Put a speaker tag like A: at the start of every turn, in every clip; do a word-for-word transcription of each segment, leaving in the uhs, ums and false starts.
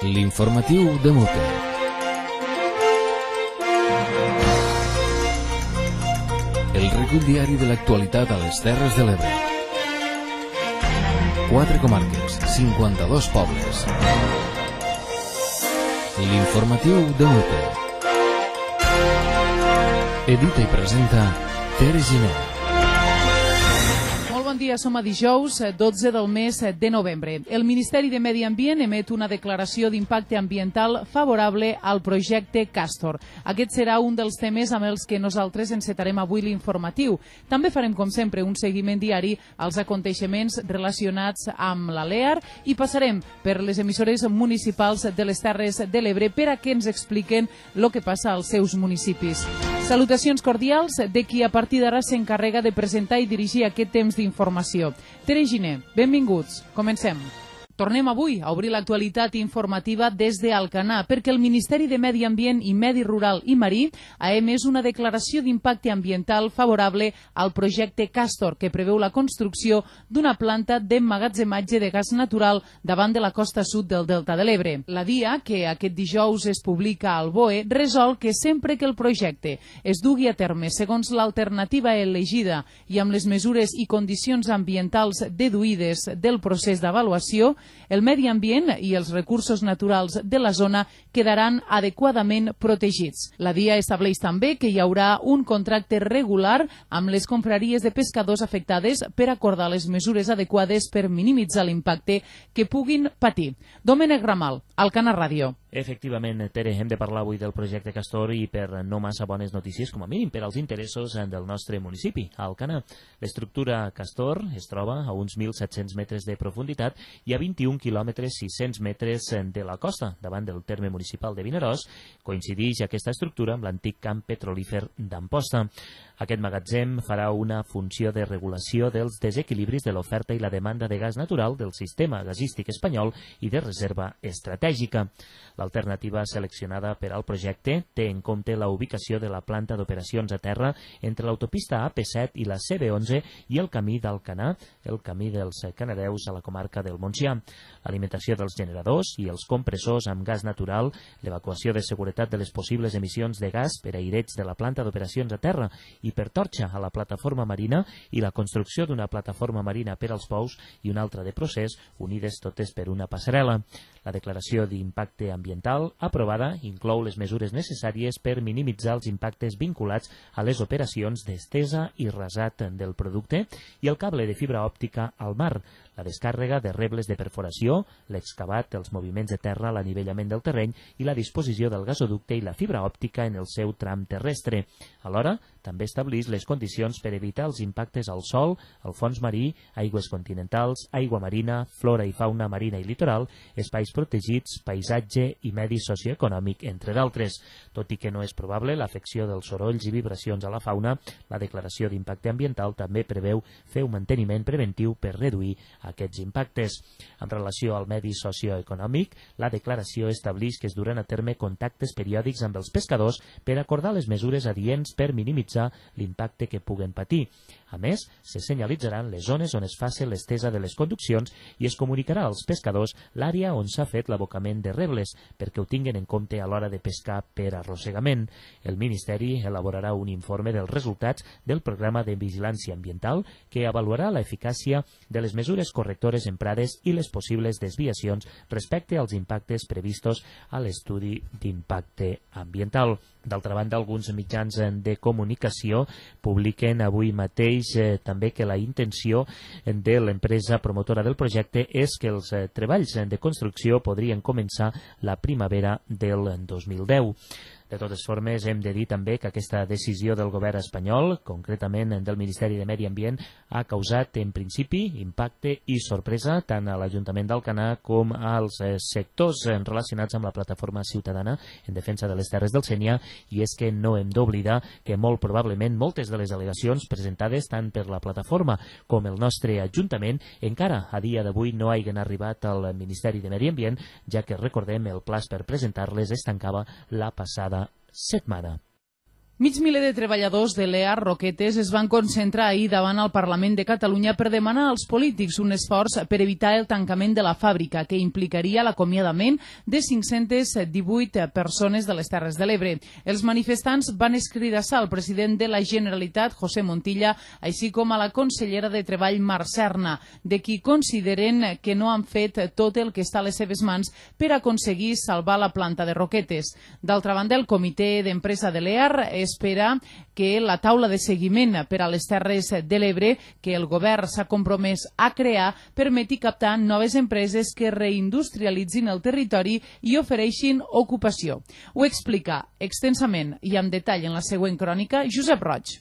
A: L'informatiu de Mote. El recull diari de l'actualitat a les Terres de l'Ebre. Quatre comarques, cinquanta-dos pobles. L'informatiu de Mote. Edita i presenta Tere Giner.
B: Bon dia, som a dijous, dotze del mes de novembre. El Ministeri de Medi Ambient emet una declaració d'impacte ambiental favorable al projecte Castor. Aquest serà un dels temes amb els que nosaltres encetarem avui l'informatiu. També farem, com sempre, un seguiment diari als aconteixements relacionats amb la LEAR i passarem per les emissores municipals de les Terres de l'Ebre per a que ens expliquen el que passa als seus municipis. Salutacions cordials de qui a partir d'ara s'encarrega de presentar i dirigir aquest temps d'informació. Tere Giner, benvinguts. Comencem. Tornem avui a obrir l'actualitat informativa des d'Alcanar, perquè el Ministeri de Medi Ambient i Medi Rural i Marí ha emès una declaració d'impacte ambiental favorable al projecte Castor, que preveu la construcció d'una planta d'emmagatzematge de gas natural davant de la costa sud del Delta de l'Ebre. La D I A, que aquest dijous es publica al B O E, resol que sempre que el projecte es dugui a terme segons l'alternativa elegida i amb les mesures i condicions ambientals deduïdes del procés d'avaluació, el medi ambient i els recursos naturals de la zona quedaran adequadament protegits. La D I A estableix també que hi haurà un contracte regular amb les confraries de pescadors afectades per acordar les mesures adequades per minimitzar l'impacte que puguin patir. Domènec Ramal, Alcanar Ràdio.
C: Efectivament, Tere, hem de parlar avui del projecte Castor i per no massa bones notícies, com a mínim per als interessos del nostre municipi, Alcanar. L'estructura Castor es troba a uns mil set-cents metres de profunditat i a vint-i-un quilòmetres sis-cents metres de la costa, davant del terme municipal de Vinaròs. Coincideix aquesta estructura amb l'antic camp petrolífer d'Amposta. Aquest magatzem farà una funció de regulació dels desequilibris de l'oferta i la demanda de gas natural del sistema gasístic espanyol i de reserva estratègica. L'alternativa seleccionada per al projecte té en compte la ubicació de la planta d'operacions a terra entre l'autopista A P set i la C B onze i el camí d'Alcanar, el camí dels Canadeus a la comarca del Montsià. L'alimentació dels generadors i els compressors amb gas natural, l'evacuació de seguretat de les possibles emissions de gas per aireig de la planta d'operacions a terra i per torxa a la plataforma marina i la construcció d'una plataforma marina per als pous i una altra de procés, unides totes per una passarel·la. La declaració d'impacte ambiental aprovada inclou les mesures necessàries per minimitzar els impactes vinculats a les operacions d'estesa i rasat del producte i el cable de fibra òptica al mar, la descàrrega de rebles de perforació, l'excavat, els moviments de terra, l'anivellament del terreny i la disposició del gasoducte i la fibra òptica en el seu tram terrestre. Alhora, també estableix les condicions per evitar els impactes al sòl, al fons marí, aigües continentals, aigua marina, flora i fauna marina i litoral, espais protegits, paisatge i medi socioeconòmic, entre d'altres. Tot i que no és probable l'afecció dels sorolls i vibracions a la fauna, la declaració d'impacte ambiental també preveu fer un manteniment preventiu per reduir aquests impactes. En relació al medi socioeconòmic, la declaració estableix que es duran a terme contactes periòdics amb els pescadors per acordar les mesures adients per minimitzar l'impacte que puguen patir. A més, se senyalitzaran les zones on es faci l'estesa de les conduccions i es comunicarà als pescadors l'àrea on s'ha fet l'abocament de rebles perquè ho tinguen en compte a l'hora de pescar per arrossegament. El Ministeri elaborarà un informe dels resultats del programa de vigilància ambiental que avaluarà l'eficàcia de les mesures correctores emprades i les possibles desviacions respecte als impactes previstos a l'estudi d'impacte ambiental. D'altra banda, alguns mitjans de comunicació publiquen avui mateix eh, també que la intenció de l'empresa promotora del projecte és que els eh, treballs de construcció podrien començar la primavera del dos mil deu. De totes formes, hem de dir també que aquesta decisió del govern espanyol, concretament del Ministeri de Medi Ambient, ha causat en principi impacte i sorpresa tant a l'Ajuntament d'Alcanar com als sectors relacionats amb la plataforma ciutadana en defensa de les terres del Sénia, i és que no hem d'oblidar que molt probablement moltes de les al·legacions presentades tant per la plataforma com el nostre Ajuntament encara a dia d'avui no hagin arribat al Ministeri de Medi Ambient, ja que recordem el plaç per presentar-les es tancava la passada setmana.
B: Mig miler de treballadors de l'E A R Roquetes es van concentrar ahir davant el Parlament de Catalunya per demanar als polítics un esforç per evitar el tancament de la fàbrica, que implicaria l'acomiadament de cinc-centes divuit persones de les Terres de l'Ebre. Els manifestants van escridassar al president de la Generalitat, José Montilla, així com a la consellera de Treball, Mar Serna, de qui consideren que no han fet tot el que està a les seves mans per aconseguir salvar la planta de Roquetes. D'altra banda, el comitè d'empresa de l'E A R espera que la taula de seguiment per a les Terres de l'Ebre, que el govern s'ha compromès a crear, permeti captar noves empreses que reindustrialitzin el territori i ofereixin ocupació. Ho explica extensament i amb detall en la següent crònica Josep Roig.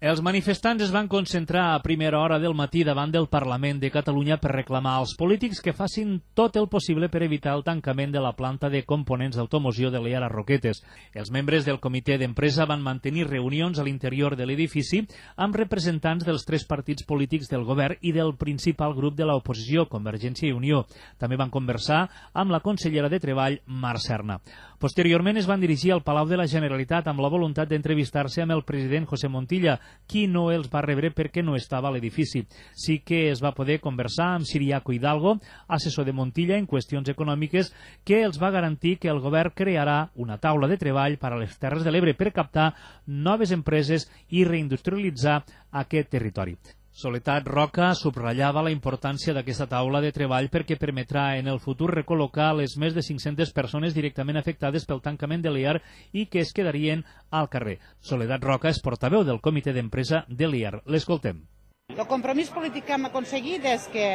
D: Els manifestants es van concentrar a primera hora del matí davant del Parlament de Catalunya per reclamar als polítics que facin tot el possible per evitar el tancament de la planta de components d'automoció de l'E A R Roquetes. Els membres del comitè d'empresa van mantenir reunions a l'interior de l'edifici amb representants dels tres partits polítics del govern i del principal grup de l'oposició, Convergència i Unió. També van conversar amb la consellera de Treball, Mar Serna. Posteriorment es van dirigir al Palau de la Generalitat amb la voluntat d'entrevistar-se amb el president José Montilla, qui no els va rebre perquè no estava a l'edifici. Sí que es va poder conversar amb Siriaco Hidalgo, assessor de Montilla en qüestions econòmiques, que els va garantir que el govern crearà una taula de treball per a les Terres de l'Ebre per captar noves empreses i reindustrialitzar aquest territori. Soledat Roca subratllava la importància d'aquesta taula de treball perquè permetrà en el futur recol·locar les més de cinc-centes persones directament afectades pel tancament de l'E A R i que es quedarien al carrer. Soledat Roca és portaveu del comitè d'empresa de l'E A R. L'escoltem.
E: El compromís polític que hem aconseguit és que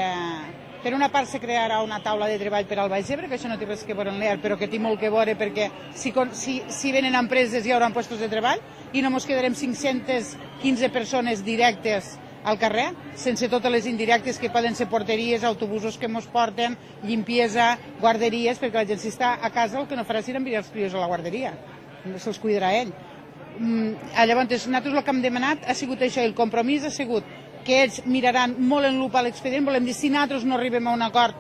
E: per una part se crearà una taula de treball per al Baix Ebre, que això no té res que veure amb l'E A R, però que té molt que veure perquè si, si, si venen empreses hi haurà puestos de treball i no ens quedarem cinc-centes quinze persones directes al carrer, sense totes les indirectes que poden ser porteries, autobusos que ens porten, limpiesa, guarderies, perquè la gent si està a casa el que no farà serà enviar els crios a la guarderia, se'ls cuidarà ell. Mm, llavors, nosaltres el que hem demanat ha sigut això, el compromís ha sigut que ells miraran molt en lupa l'expedient, volem dir, si nosaltres no arribem a un acord,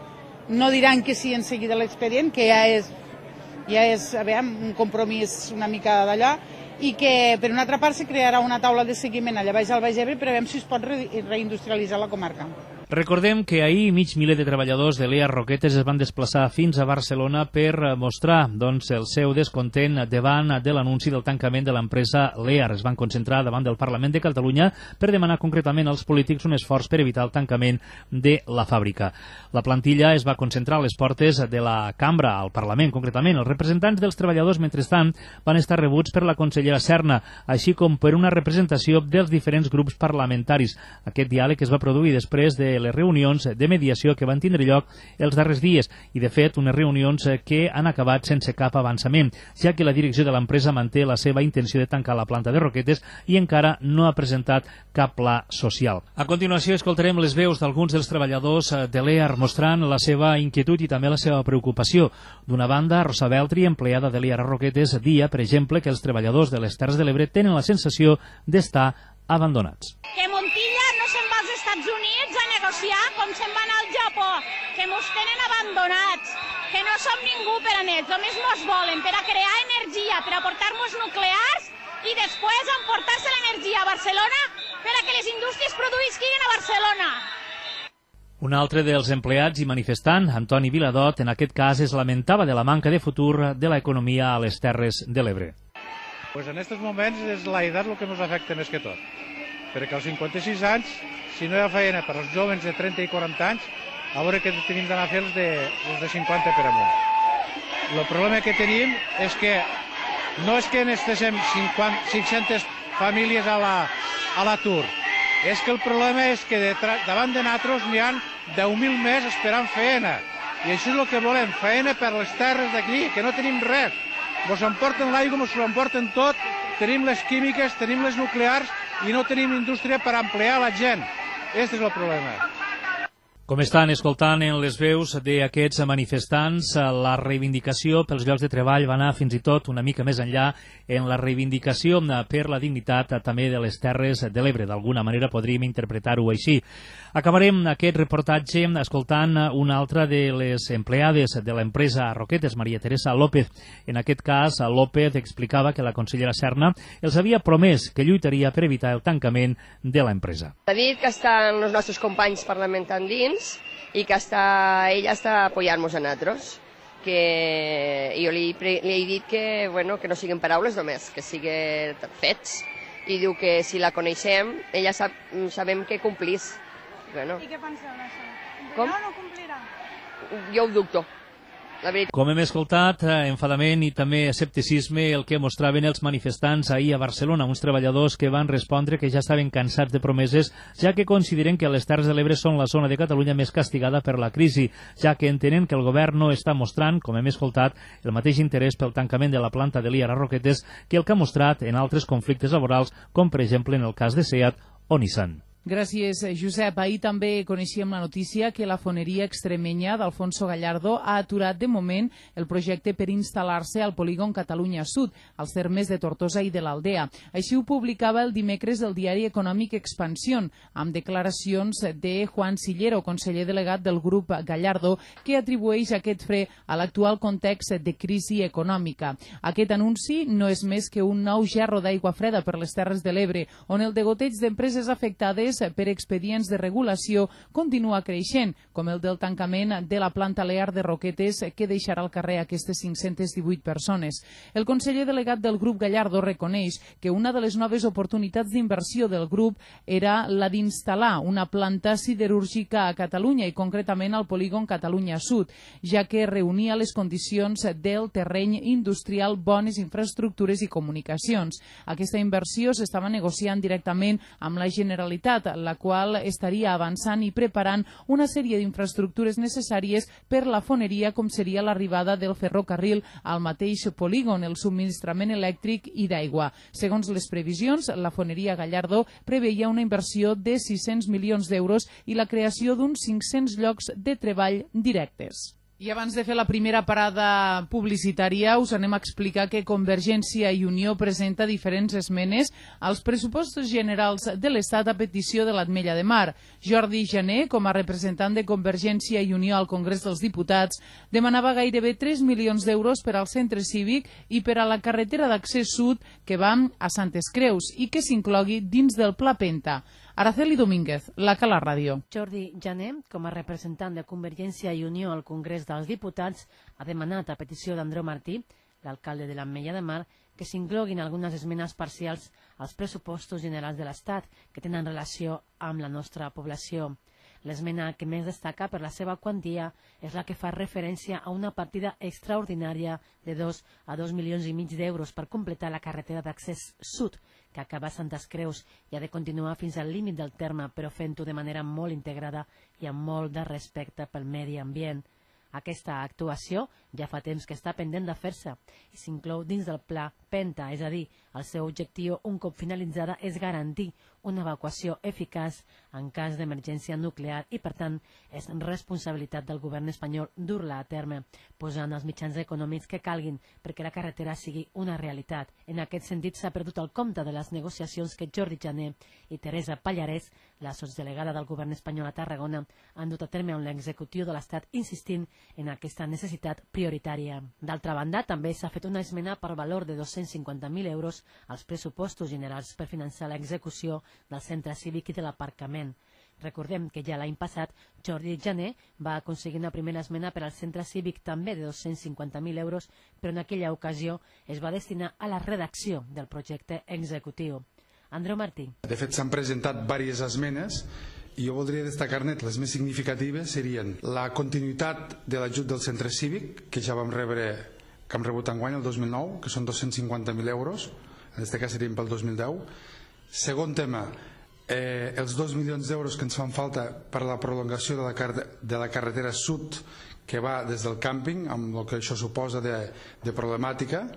E: no diran que sí en seguida l'expedient, que ja és, ja és a veure, un compromís una mica d'allò, i que per una altra part se crearà una taula de seguiment allà baix al Baix Ebre per veure si es pot re reindustrialitzar la comarca.
D: Recordem que ahir mig miler de treballadors de l'E A R Roquetes es van desplaçar fins a Barcelona per mostrar doncs, el seu descontent davant de l'anunci del tancament de l'empresa l'E A R. Es van concentrar davant del Parlament de Catalunya per demanar concretament als polítics un esforç per evitar el tancament de la fàbrica. La plantilla es va concentrar a les portes de la cambra, al Parlament concretament. Els representants dels treballadors, mentrestant, van estar rebuts per la consellera Serna, així com per una representació dels diferents grups parlamentaris. Aquest diàleg es va produir després de les reunions de mediació que van tindre lloc els darrers dies i, de fet, unes reunions que han acabat sense cap avançament, ja que la direcció de l'empresa manté la seva intenció de tancar la planta de Roquetes i encara no ha presentat cap pla social. A continuació escoltarem les veus d'alguns dels treballadors de l'E A R mostrant la seva inquietud i també la seva preocupació. D'una banda, Rosa Beltri, empleada de l'E A R Roquetes, dia, per exemple, que els treballadors de les Terres de l'Ebre tenen la sensació d'estar abandonats.
F: Que Montilla no se'n va als Estats Units a negociar com se'n va anar al Japó, que mos tenen abandonats, que no som ningú per a ells, només mos volen per a crear energia, per a portar-nos nuclears i després emportar-se l'energia a Barcelona per a que les indústries produïsquin a Barcelona.
D: Un altre dels empleats i manifestant, Antoni Viladot, en aquest cas es lamentava de la manca de futur de l'economia a les Terres de l'Ebre.
G: Pues en aquests moments és la edat el que ens afecta més que tot, perquè als cinquanta-sis anys, si no hi ha feina per als joves de trenta i quaranta anys, a veure què tenim d'anar a fer els de, els de cinquanta per amunt. El problema que tenim és que no és que necessitem cinc-centes famílies a l'atur, la, és que el problema és que de, davant de nosaltres n'hi ha deu mil més esperant feina, i això és el que volem, feina per les terres d'aquí, que no tenim res. Ens emporten l'aigua, ens ho emporten tot, tenim les químiques, tenim les nuclears i no tenim indústria per emplear la gent. Aquest és el problema.
D: Com estan escoltant en les veus d'aquests manifestants, la reivindicació pels llocs de treball va anar fins i tot una mica més enllà en la reivindicació per la dignitat també de les Terres de l'Ebre. D'alguna manera podríem interpretar-ho així. Acabarem aquest reportatge escoltant una altra de les empleades de l'empresa Roquetes, Maria Teresa López. En aquest cas, López explicava que la consellera Serna els havia promès que lluitaria per evitar el tancament de l'empresa.
H: Ha dit que estan els nostres companys parlamentant dins i que està, ella està apoyant-nos a nosaltres. Que jo li, li he dit que, bueno, que no siguin paraules només, que siguin fets. I diu que si la coneixem, ella sap, sabem que complís. Bueno.
F: I què penseu d'això? Complirà
H: Com?
F: o no complirà?
H: Jo ho dubto. La veritat.
D: Com hem escoltat, enfadament i també escepticisme el que mostraven els manifestants ahir a Barcelona, uns treballadors que van respondre que ja estaven cansats de promeses, ja que consideren que les Terres de l'Ebre són la zona de Catalunya més castigada per la crisi, ja que entenen que el govern no està mostrant, com hem escoltat, el mateix interès pel tancament de la planta de l'I A R A Roquetes que el que ha mostrat en altres conflictes laborals, com per exemple en el cas de SEAT o Nissan.
B: Gràcies, Josep. Ahir també coneixíem la notícia que la foneria extremenya d'Alfonso Gallardo ha aturat de moment el projecte per instal·lar-se al polígon Catalunya Sud, als termes de Tortosa i de l'Aldea. Així ho publicava el dimecres el diari econòmic Expansión, amb declaracions de Juan Sillero, conseller delegat del grup Gallardo, que atribueix aquest fre a l'actual context de crisi econòmica. Aquest anunci no és més que un nou gerro d'aigua freda per les Terres de l'Ebre, on el degoteig d'empreses afectades per expedients de regulació continua creixent, com el del tancament de la planta Lear de Roquetes, que deixarà al carrer aquestes cinc-centes divuit persones. El conseller delegat del grup Gallardo reconeix que una de les noves oportunitats d'inversió del grup era la d'instal·lar una planta siderúrgica a Catalunya i concretament al polígon Catalunya Sud, ja que reunia les condicions del terreny industrial, bones infraestructures i comunicacions. Aquesta inversió s'estava negociant directament amb la Generalitat, la qual estaria avançant i preparant una sèrie d'infraestructures necessàries per la foneria, com seria l'arribada del ferrocarril al mateix polígon, el subministrament elèctric i d'aigua. Segons les previsions, la foneria Gallardo preveia una inversió de sis-cents milions d'euros i la creació d'uns cinc-cents llocs de treball directes. I abans de fer la primera parada publicitària, us anem a explicar que Convergència i Unió presenta diferents esmenes als pressupostos generals de l'Estat a petició de l'Ametlla de Mar. Jordi Jané, com a representant de Convergència i Unió al Congrés dels Diputats, demanava gairebé tres milions d'euros per al centre cívic i per a la carretera d'accés sud que va a Santes Creus i que s'inclogui dins del Pla Penta. Araceli Domínguez, la Cala Ràdio.
I: Jordi Jané, com a representant de Convergència i Unió al Congrés dels Diputats, ha demanat a petició d'Andreu Martí, l'alcalde de l'Ametlla de Mar, que s'incloguin algunes esmenes parcials als pressupostos generals de l'Estat que tenen relació amb la nostra població. L'esmena que més destaca per la seva quantia és la que fa referència a una partida extraordinària de dos a dos milions i mig d'euros per completar la carretera d'accés sud, que acaba a Santes Creus i ha de continuar fins al límit del terme, però fent-ho de manera molt integrada i amb molt de respecte pel medi ambient. Aquesta actuació ja fa temps que està pendent de fer-se i s'inclou dins del Pla Penta, és a dir, el seu objectiu un cop finalitzada és garantir una evacuació eficaç en cas d'emergència nuclear i, per tant, és responsabilitat del govern espanyol dur-la a terme, posant els mitjans econòmics que calguin perquè la carretera sigui una realitat. En aquest sentit, s'ha perdut el compte de les negociacions que Jordi Jané i Teresa Pallarès, la sotsdelegada del govern espanyol a Tarragona, han dut a terme amb l'executiu de l'Estat insistint en aquesta necessitat prioritària. D'altra banda, també s'ha fet una esmena per valor de dos-cents cinquanta mil euros als pressupostos generals per finançar l'execució del centre cívic i de l'aparcament. Recordem que ja l'any passat Jordi Jané va aconseguir una primera esmena per al centre cívic també de dos-cents cinquanta mil euros, però en aquella ocasió es va destinar a la redacció del projecte executiu. Andreu Martí.
J: De fet, s'han presentat diverses esmenes i jo voldria destacar-ne les més significatives serien la continuïtat de l'ajut del centre cívic, que ja vam rebre, que hem rebut enguany el dos mil nou, que són dos-cents cinquanta mil euros, en aquest cas serien pel dos mil deu. Segon tema, eh, els dos milions d'euros que ens fan falta per a la prolongació de la, car de la carretera sud que va des del càmping, amb el que això suposa de, de problemàtica,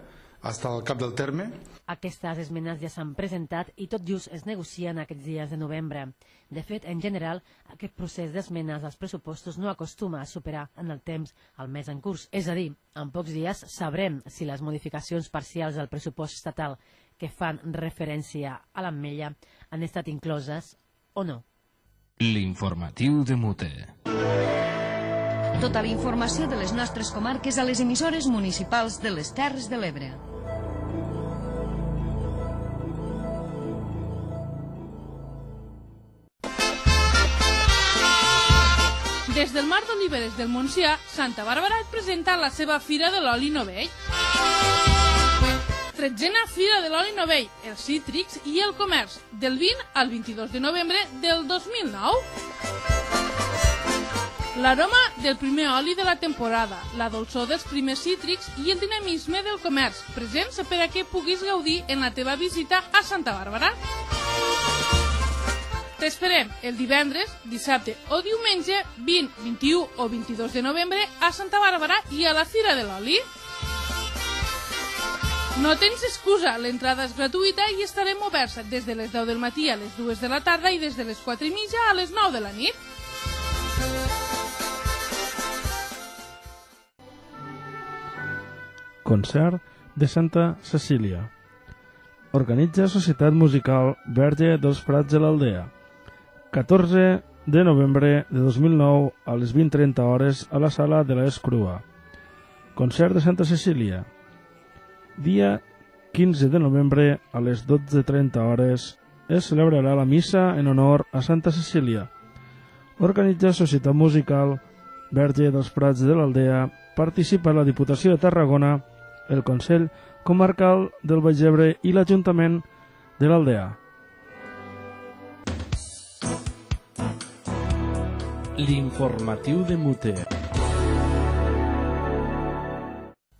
J: fins al cap del terme.
I: Aquestes esmenes ja s'han presentat i tot just es negocien aquests dies de novembre. De fet, en general, aquest procés d'esmenes als pressupostos no acostuma a superar en el temps el mes en curs. És a dir, en pocs dies sabrem si les modificacions parcials del pressupost estatal que fan referència a l'Ametlla han estat incloses o no.
A: L'informatiu de Mute.
K: Tota la informació de les nostres comarques a les emissores municipals de les Terres de l'Ebre.
L: Des del Mar d'Oliveres del Montsià, Santa Bàrbara et presenta la seva Fira de l'Oli Novell. Tretzena Fira de l'Oli Novell, els cítrics i el comerç, del vint al vint-i-dos de novembre del dos mil nou. L'aroma del primer oli de la temporada, la dolçor dels primers cítrics i el dinamisme del comerç, presents per a que puguis gaudir en la teva visita a Santa Bàrbara. T'esperem el divendres, dissabte o diumenge vint, vint-i-u o vint-i-dos de novembre a Santa Bàrbara i a la Fira de l'Oli. No tens excusa, l'entrada és gratuïta i estarem oberts des de les deu del matí a les dues de la tarda i des de les quatre i mitja a les nou de la nit.
M: Concert de Santa Cecília. Organitza Societat Musical Verge dels Prats de l'Aldea. catorze de novembre de dos mil nou a les vint trenta hores a la sala de l'Escrua. Concert de Santa Cecília. Dia quinze de novembre a les dotze trenta hores es celebrarà la missa en honor a Santa Cecília. Organitza Societat Musical Verge dels Prats de l'Aldea. Participa la Diputació de Tarragona, el Consell Comarcal del Baix Ebre i l'Ajuntament de l'Aldea.
A: L'informatiu de Mute.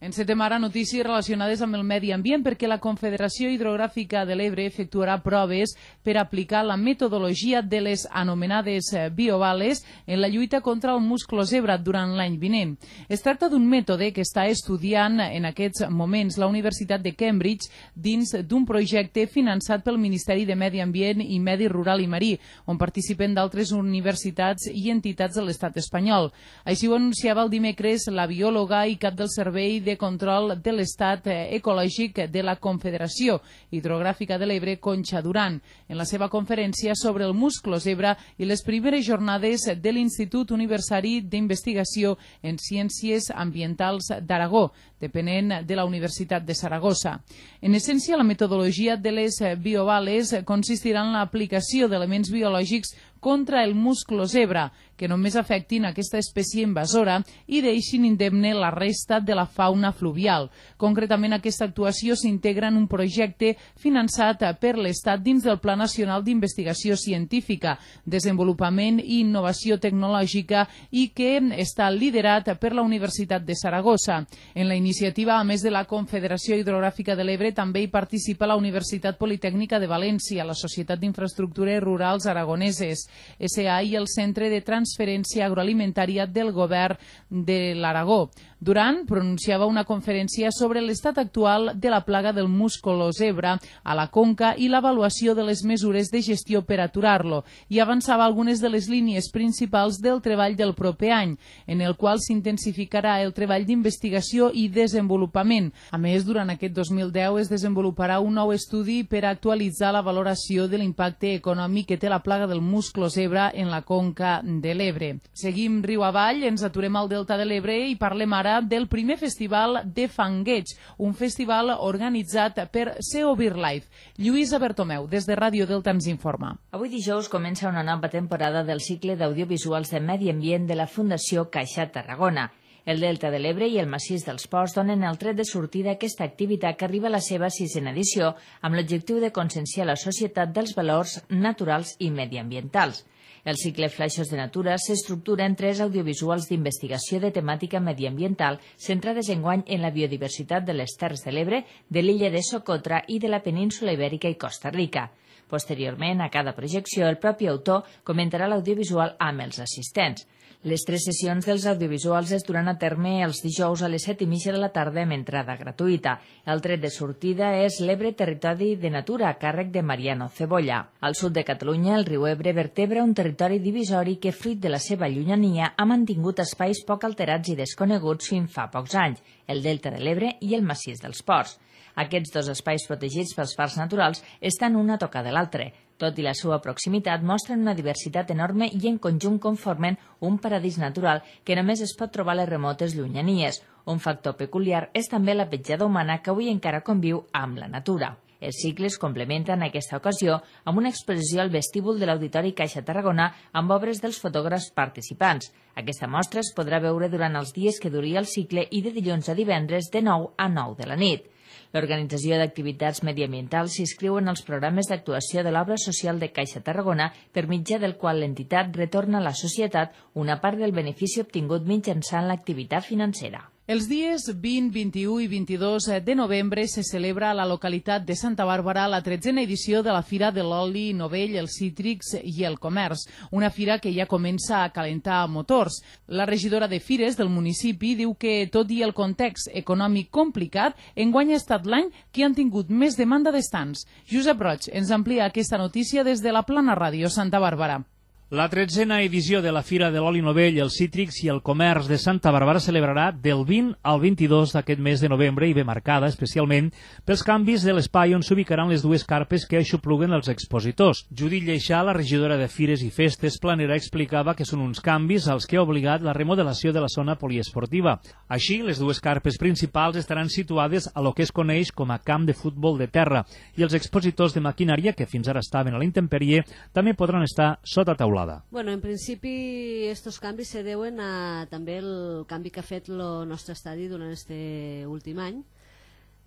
B: Encetem ara notícies relacionades amb el medi ambient perquè la Confederació Hidrogràfica de l'Ebre efectuarà proves per aplicar la metodologia de les anomenades biovales en la lluita contra el musclo-zebra durant l'any vinent. Es tracta d'un mètode que està estudiant en aquests moments la Universitat de Cambridge dins d'un projecte finançat pel Ministeri de Medi Ambient i Medi Rural i Marí, on participen d'altres universitats i entitats de l'estat espanyol. Així ho anunciava el dimecres la biòloga i cap del Servei de Control de l'Estat Ecològic de la Confederació Hidrogràfica de l'Ebre, Concha Duran, en la seva conferència sobre el musclo-zebra i les primeres jornades de l'Institut Universitari d'Investigació en Ciències Ambientals d'Aragó, depenent de la Universitat de Saragossa. En essència, la metodologia de les biovales consistirà en l'aplicació d'elements biològics contra el musclo-zebra, que només afectin aquesta espècie invasora i deixin indemne la resta de la fauna fluvial. Concretament, aquesta actuació s'integra en un projecte finançat per l'Estat dins del Pla Nacional d'Investigació Científica, Desenvolupament i Innovació Tecnològica i que està liderat per la Universitat de Saragossa. En la iniciativa, a més de la Confederació Hidrogràfica de l'Ebre, també hi participa la Universitat Politècnica de València, la Societat d'Infraestructures Rurals Aragoneses, S A i el Centre de Transferència Agroalimentària del Govern de l'Aragó. Duran pronunciava una conferència sobre l'estat actual de la plaga del musclo-zebra a la conca i l'avaluació de les mesures de gestió per aturar-lo i avançava algunes de les línies principals del treball del proper any, en el qual s'intensificarà el treball d'investigació i desenvolupament. A més, durant aquest dos mil deu es desenvoluparà un nou estudi per actualitzar la valoració de l'impacte econòmic que té la plaga del musclo-zebra en la conca de l'Ebre. Seguim riu avall, ens aturem al Delta de l'Ebre i parlem ara del primer festival de Fangueig, un festival organitzat per S E O BirdLife. Lluïsa Bertomeu, des de Ràdio Delta, ens informa.
N: Avui dijous comença una nova temporada del cicle d'audiovisuals de medi ambient de la Fundació Caixa Tarragona. El Delta de l'Ebre i el Massís dels Ports donen el tret de sortida a aquesta activitat que arriba a la seva sisena edició amb l'objectiu de conscienciar la societat dels valors naturals i mediambientals. El cicle Flaixos de Natura s'estructura en tres audiovisuals d'investigació de temàtica mediambiental centrades enguany en la biodiversitat de les Terres de l'Ebre, de l'illa de Socotra i de la península Ibèrica i Costa Rica. Posteriorment, a cada projecció, el propi autor comentarà l'audiovisual amb els assistents. Les tres sessions dels audiovisuals es duran a terme els dijous a les set i mitja de la tarda amb entrada gratuïta. El tret de sortida és l'Ebre Territori de Natura, a càrrec de Mariano Cebolla. Al sud de Catalunya, el riu Ebre vertebra un territori divisori que, fruit de la seva llunyania, ha mantingut espais poc alterats i desconeguts fins fa pocs anys, el Delta de l'Ebre i el Massís dels Ports. Aquests dos espais protegits pels parcs naturals estan un a tocar de l'altre. Tot i la seva proximitat, mostren una diversitat enorme i en conjunt conformen un paradís natural que només es pot trobar a les remotes llunyanies. Un factor peculiar és també la petjada humana que avui encara conviu amb la natura. Els cicles complementen aquesta ocasió amb una exposició al vestíbul de l'Auditori Caixa Tarragona amb obres dels fotògrafs participants. Aquesta mostra es podrà veure durant els dies que duria el cicle i de dilluns a divendres de nou a nou de la nit. L'organització d'activitats mediambientals s'inscriu en els programes d'actuació de l'obra social de Caixa Tarragona, per mitjà del qual l'entitat retorna a la societat una part del benefici obtingut mitjançant l'activitat financera.
B: Els dies vint, vint-i-u i vint-i-dos de novembre se celebra a la localitat de Santa Bàrbara la tretzena edició de la Fira de l'Oli Novell, els cítrics i el comerç, una fira que ja comença a calentar motors. La regidora de Fires del municipi diu que, tot i el context econòmic complicat, enguany ha estat l'any que han tingut més demanda d'estants. Josep Roig ens amplia aquesta notícia des de la Plana Ràdio Santa Bàrbara.
D: La tretzena edició de la Fira de l'Oli Novell, els cítrics i el comerç de Santa Bàrbara celebrarà del vint al vint-i-dos d'aquest mes de novembre i ve marcada especialment pels canvis de l'espai on s'ubicaran les dues carpes que aixopluguen els expositors. Judit Lleixà, la regidora de Fires i Festes Planera, explicava que són uns canvis als que ha obligat la remodelació de la zona poliesportiva. Així, les dues carpes principals estaran situades a lo que es coneix com a camp de futbol de terra i els expositors de maquinària, que fins ara estaven a la intemperie, també podran estar sota taulada.
O: Bueno, en principi estos canvis se deuen a també el canvi que ha fet el nostre estadi durant este últim any,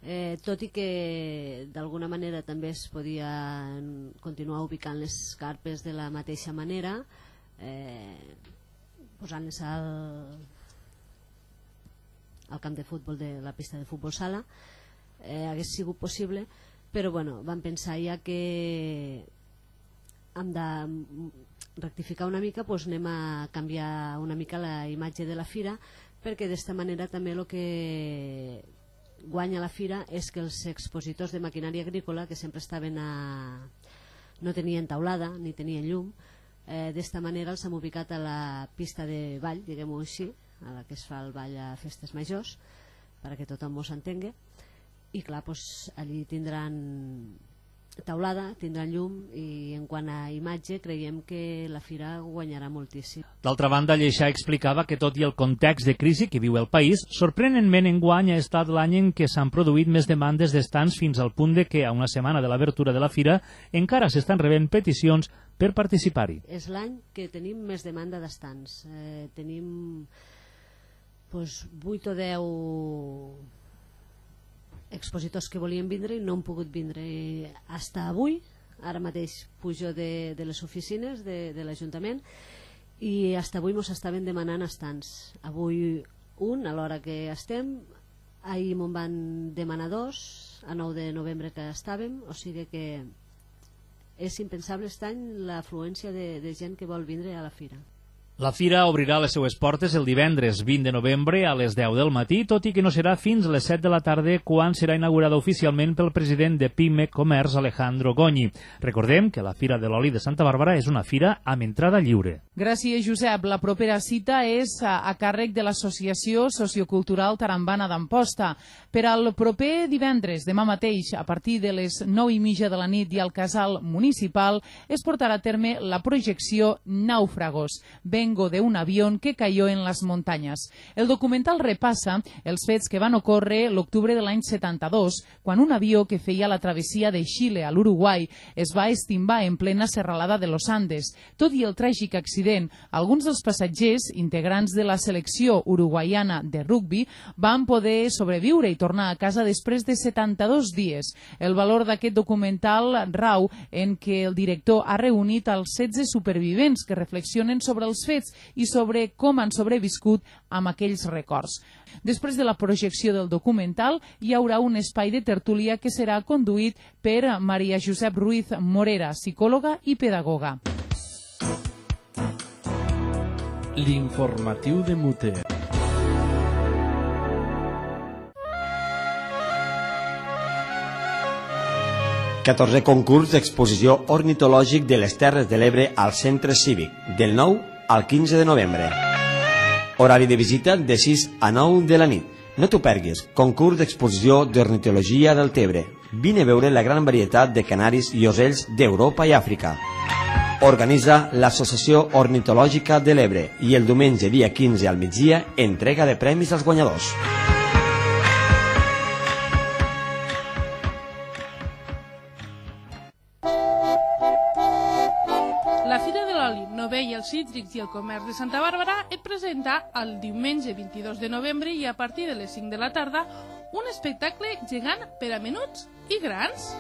O: eh, tot i que d'alguna manera també es podia continuar ubicant les carpes de la mateixa manera, eh, posant-les al, al camp de futbol de la pista de futbol sala, eh, hagués sigut possible, però bueno, vam pensar ja que hem de rectificar una mica, doncs anem a canviar una mica la imatge de la fira, perquè d'esta manera també el que guanya la fira és que els expositors de maquinària agrícola, que sempre estaven a... no tenien taulada ni tenien llum, eh, d'esta manera els hem ubicat a la pista de ball, diguem-ho així, a la que es fa el ball a festes majors, perquè tothom ho s'entengui, i clar, doncs, allí tindran taulada, tindran llum, i en quant a imatge creiem que la fira guanyarà moltíssim.
D: D'altra banda, Lleixà explicava que tot i el context de crisi que viu el país, sorprenentment enguany ha estat l'any en què s'han produït més demandes d'estants, fins al punt de que a una setmana de l'obertura de la fira encara s'estan rebent peticions per participar-hi.
O: És l'any que tenim més demanda d'estants. Eh, tenim pues, vuit o deu expositors que volien vindre i no han pogut vindre fins avui. Ara mateix pujo de, de les oficines de, de l'Ajuntament i fins avui ens estaven demanant estants. Avui un, a l'hora que estem, ahir me'n van demanar dos, a nou de novembre que estàvem, o sigui que és impensable aquest any l'afluència de, de gent que vol vindre a la fira.
D: La fira obrirà les seues portes el divendres vint de novembre a les deu del matí, tot i que no serà fins les set de la tarda quan serà inaugurada oficialment pel president de PIME Comerç, Alejandro Goñi. Recordem que la Fira de l'Oli de Santa Bàrbara és una fira amb entrada lliure.
B: Gràcies, Josep. La propera cita és a, a càrrec de l'Associació Sociocultural Tarambana d'Amposta. Per al proper divendres, demà mateix, a partir de les nou i mitja de la nit i al casal municipal, es portarà a terme la projecció Náufragos, Vengo de un avión que cayó en las montañas. El documental repassa els fets que van ocórrer l'octubre de l'any setanta-dos, quan un avió que feia la travessia de Xile a l'Uruguai es va estimbar en plena serralada de los Andes. Tot i el tràgic accident, alguns dels passatgers, integrants de la selecció uruguaiana de rugbi, van poder sobreviure i tornar a casa després de setanta-dos dies. El valor d'aquest documental rau en què el director ha reunit els setze supervivents que reflexionen sobre els fets i sobre com han sobreviscut amb aquells records. Després de la projecció del documental hi haurà un espai de tertúlia que serà conduït per Maria Josep Ruiz Morera, psicòloga i pedagoga.
M: L'informatiu de Muter.
P: catorzè concurs d'exposició ornitològic de les Terres de l'Ebre al Centre Cívic, del nou al quinze de novembre. Horari de visita de sis a nou de la nit. No t'ho perguis, concurs d'exposició d'ornitologia del Tebre. Vine a veure la gran varietat de canaris i ocells d'Europa i Àfrica. Organitza l'Associació Ornitològica de l'Ebre i el diumenge dia quinze al migdia entrega de premis als guanyadors.
L: La Fira de l'Oli, Novè i els Cítrics i el Comerç de Santa Bàrbara et presenta el diumenge vint-i-dos de novembre i a partir de les cinc de la tarda un espectacle gegant per a menuts i grans.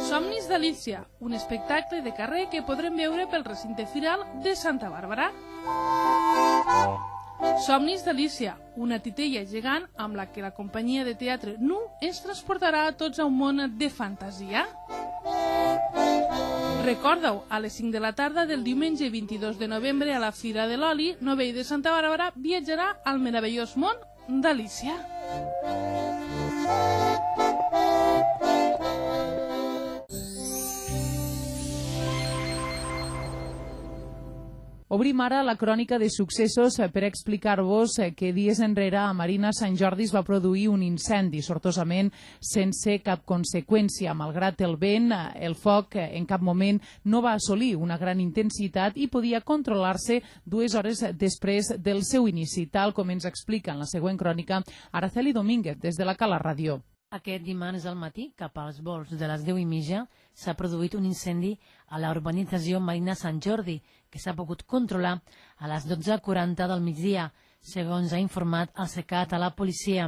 L: Somnis d'Alícia, un espectacle de carrer que podrem veure pel recinte firal de Santa Bàrbara. Somnis d'Alícia, una titella gegant amb la que la companyia de teatre Nu ens transportarà a tots a un món de fantasia. Recorda-ho, a les cinc de la tarda del diumenge vint-i-dos de novembre a la Fira de l'Oli, Novè de Santa Bàrbara viatjarà al meravellós món d'Alícia.
B: Obrim ara la crònica de successos per explicar-vos que dies enrere a Marina Sant Jordi es va produir un incendi, sortosament sense cap conseqüència. Malgrat el vent, el foc en cap moment no va assolir una gran intensitat i podia controlar-se dues hores després del seu inici, tal com ens explica en la següent crònica Araceli Domínguez des de la Cala Ràdio.
I: Aquest dimarts al matí, cap als volts de les deu i mitja, s'ha produït un incendi a la urbanització Marina Sant Jordi, que s'ha pogut controlar a les dotze quaranta del migdia, segons ha informat el SECAT a la policia.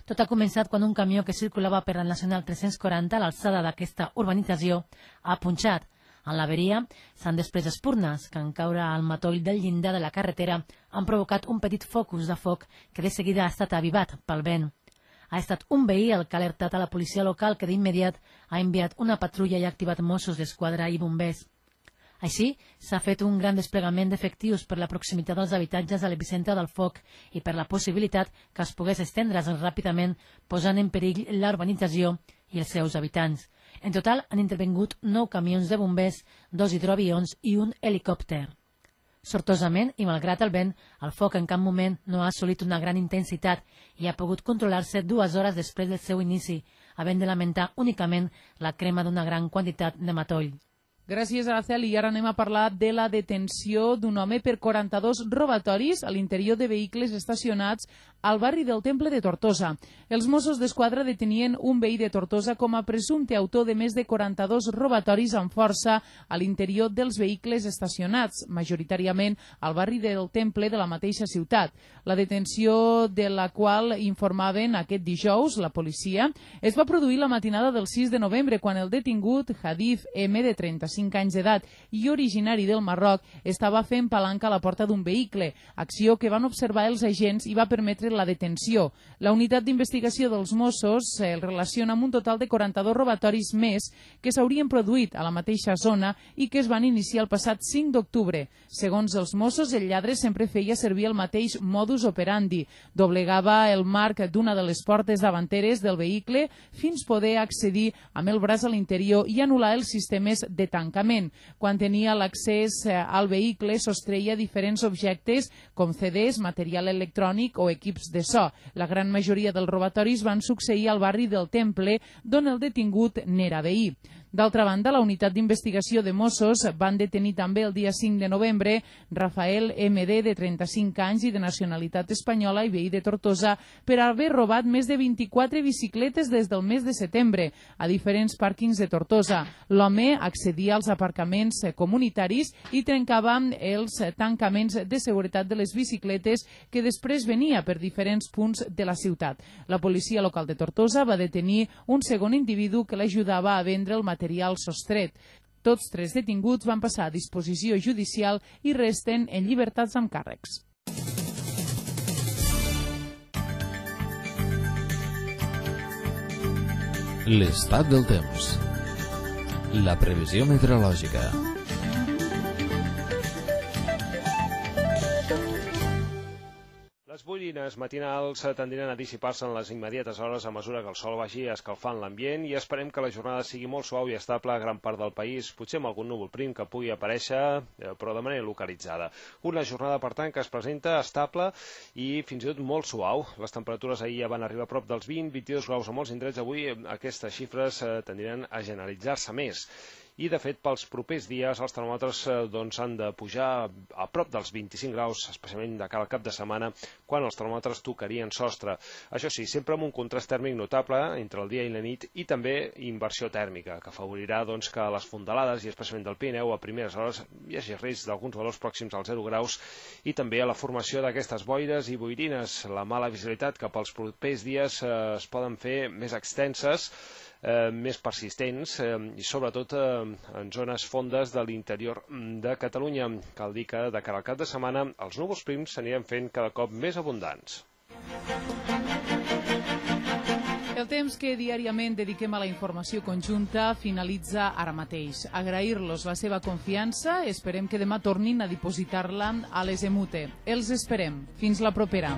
I: Tot ha començat quan un camió que circulava per la Nacional tres-cents quaranta a l'alçada d'aquesta urbanització ha punxat. En l'averia s'han després espurnes que en caure al matoll del llindar de la carretera han provocat un petit focus de foc que de seguida ha estat avivat pel vent. Ha estat un veí el que ha alertat a la policia local que d'immediat ha enviat una patrulla i ha activat Mossos d'Esquadra i bombers. Així, s'ha fet un gran desplegament d'efectius per la proximitat dels habitatges a l'epicentre del foc i per la possibilitat que es pogués estendre's ràpidament posant en perill la urbanització i els seus habitants. En total han intervingut nou camions de bombers, dos hidroavions i un helicòpter. Sortosament, i malgrat el vent, el foc en cap moment no ha assolit una gran intensitat i ha pogut controlar-se dues hores després del seu inici, havent de lamentar únicament la crema d'una gran quantitat de matoll.
B: Gràcies, Araceli. I ara anem a parlar de la detenció d'un home per quaranta-dos robatoris a l'interior de vehicles estacionats al barri del Temple de Tortosa. Els Mossos d'Esquadra detenien un veí de Tortosa com a presumpte autor de més de quaranta-dos robatoris amb força a l'interior dels vehicles estacionats, majoritàriament al barri del Temple de la mateixa ciutat. La detenció de la qual informaven aquest dijous la policia es va produir la matinada del sis de novembre quan el detingut Hadif M, de trenta-cinc anys d'edat i originari del Marroc, estava fent palanca a la porta d'un vehicle, acció que van observar els agents i va permetre la detenció. La unitat d'investigació dels Mossos el relaciona amb un total de quaranta-dos robatoris més que s'haurien produït a la mateixa zona i que es van iniciar el passat cinc d'octubre. Segons els Mossos, el lladre sempre feia servir el mateix modus operandi. Doblegava el marc d'una de les portes davanteres del vehicle fins poder accedir amb el braç a l'interior i anul·lar els sistemes de tancament. Quan tenia l'accés al vehicle, sostreia diferents objectes com C Ds, material electrònic o equips de so. La gran majoria dels robatoris van succeir al barri del Temple, d'on el detingut n'era veí. D'altra banda, la unitat d'investigació de Mossos van detenir també el dia cinc de novembre Rafael M D, de trenta-cinc anys i de nacionalitat espanyola i veí de Tortosa, per haver robat més de vint-i-quatre bicicletes des del mes de setembre a diferents pàrquings de Tortosa. L'home accedia als aparcaments comunitaris i trencava els tancaments de seguretat de les bicicletes que després venia per diferents punts de la ciutat. La policia local de Tortosa va detenir un segon individu que l'ajudava a vendre el material sostret. Tots tres detinguts van passar a disposició judicial i resten en llibertats amb càrrecs.
A: L'estat del temps. La previsió meteorològica.
Q: Les boirines matinals tendiran a dissipar-se en les immediates hores a mesura que el sol vagi escalfant l'ambient i esperem que la jornada sigui molt suau i estable a gran part del país, potser amb algun núvol prim que pugui aparèixer, però de manera localitzada. Una jornada, per tant, que es presenta estable i fins i tot molt suau. Les temperatures ahir ja van arribar a prop dels vint a vint-i-dos graus a molts indrets. Avui aquestes xifres tendiran a generalitzar-se més. I, de fet, pels propers dies els termòmetres doncs, han de pujar a prop dels vint-i-cinc graus, especialment de cara al cap de setmana, quan els termòmetres tocarien sostre. Això sí, sempre amb un contrast tèrmic notable entre el dia i la nit i també inversió tèrmica, que afavorirà doncs, que a les fondalades, i especialment del Pirineu, a primeres hores hi hagi risc d'alguns valors pròxims als zero graus i també a la formació d'aquestes boires i boirines. La mala visibilitat que pels propers dies eh, es poden fer més extenses, Eh, més persistents eh, i sobretot eh, en zones fondes de l'interior de Catalunya. Cal dir que de cara al cap de setmana els núvols prims s'aniran fent cada cop més abundants.
B: El temps que diàriament dediquem a la informació conjunta finalitza ara mateix. Agrair-los la seva confiança, esperem que demà tornin a dipositar-la a les Emute. Els esperem. Fins la propera.